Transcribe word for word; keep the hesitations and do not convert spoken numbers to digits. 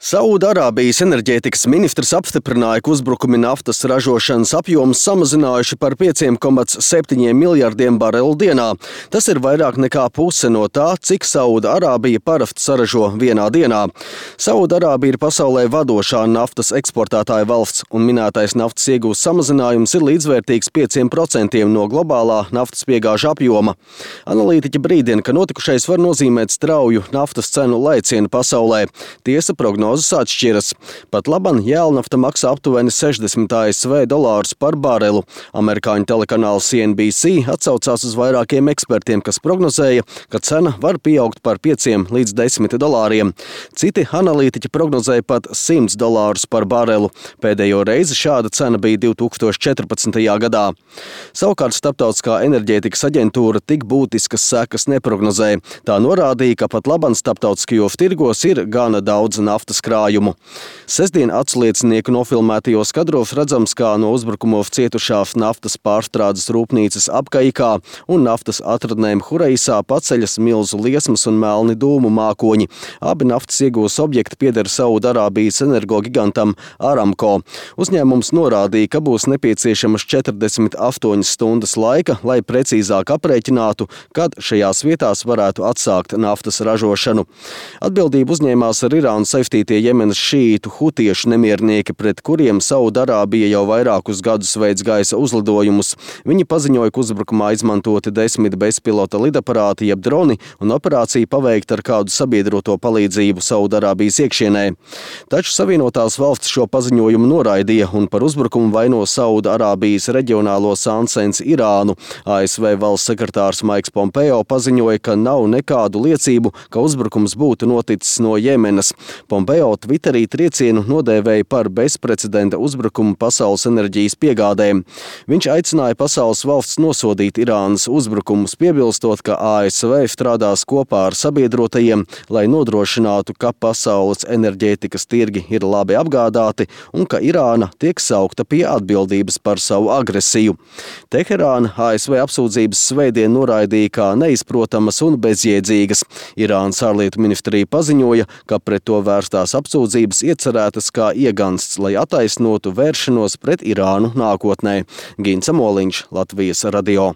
Saūdarābijas enerģētikas ministrs apstiprināja, ka uzbrukumi naftas ražošanas apjomus samazinājuši par pieciem komats septiņiem miljardiem barelu dienā. Tas ir vairāk nekā puse no tā, cik Saūdarābija parasti saražo vienā dienā. Saūdarābija ir pasaulē vadošā naftas eksportētāja valsts, un minētais naftas iegūs samazinājums ir līdzvērtīgs pieciem procentiem no globālā naftas piegāžu apjoma. Analītiķi brīdina, ka notikušais var nozīmēt strauju naftas cenu lēcienu pasaulē. Tiesa, prognozes atšķiras. Pat laban jēlnafta maksā aptuveni sešdesmit A S V dolārus par barelu. Amerikāņu telekanāls C N B C atsaucās uz vairākiem ekspertiem, kas prognozēja, ka cena var pieaugt par pieciem līdz desmit dolāriem. Citi analītiķi prognozēja pat simts dolārus par barelu. Pēdējo reizi šāda cena bija divi tūkstoši četrpadsmitajā gadā. Savukārt Starptautiskā enerģētikas aģentūra tik būtiskas sekas neprognozēja. Tā norādīja, ka pat laban starptautiskajos tirgos ir gana daudz naftas krājumu. Sestdien atsliecinieku nofilmētajos kadros redzams, kā no uzbrukumos cietušās naftas pārstrādes rūpnīcas Abkaikā un naftas atradnēm Hureisā paceļas milzu liesmas un melni dūmu mākoņi. Abi naftas iegūs objekti pieder Saūdarābijas energogigantam Aramco. Uzņēmums norādīja, ka būs nepieciešamas četrdesmit astoņas stundas laika, lai precīzāk aprēķinātu, kad šajās vietās varētu atsākt naftas ražošanu. Atbildību uzņēmās ar Irānu saistītie Jemenas šīītu hutiešu nemiernieki, pret kuriem Saūdarābija jau vairākus gadus veids gaisa uzlidojumus. Viņi paziņoja, ka uzbrukumā izmantoti desmit bezpilota lidaparāti jeb droni un operācija paveikta ar kādu sabiedroto palīdzību Saūdarābijas iekšienē. Taču Savienotās valstis šo paziņojumu noraidīja un par uzbrukumu vaino Saūdarābijas reģionālo sāncensi Irānu. A S V valsts sekretārs Maiks Pompeo paziņoja, ka nav nekādu liecību, ka uzbrukums būtu noticis no Jemenas. Pompeo Twitterī triecienu nodēvēja par bezprecedenta uzbrukumu pasaules enerģijas piegādēm. Viņš aicināja pasaules valsts nosodīt Irānas uzbrukumus, piebilstot, ka A S V strādās kopā ar sabiedrotajiem, lai nodrošinātu, ka pasaules enerģētikas tirgi ir labi apgādāti un ka Irāna tiek saukta pie atbildības par savu agresiju. Teherāna A S V apsūdzības svētdien noraidīja kā neizprotamas un bezjēdzīgas. Irānas ārlietu ministrija paziņoja, ka pret to vērstās apsūdzības iecerētas kā iegansts, lai attaisnotu vēršanos pret Irānu nākotnē. Gints Amoliņš, Latvijas radio.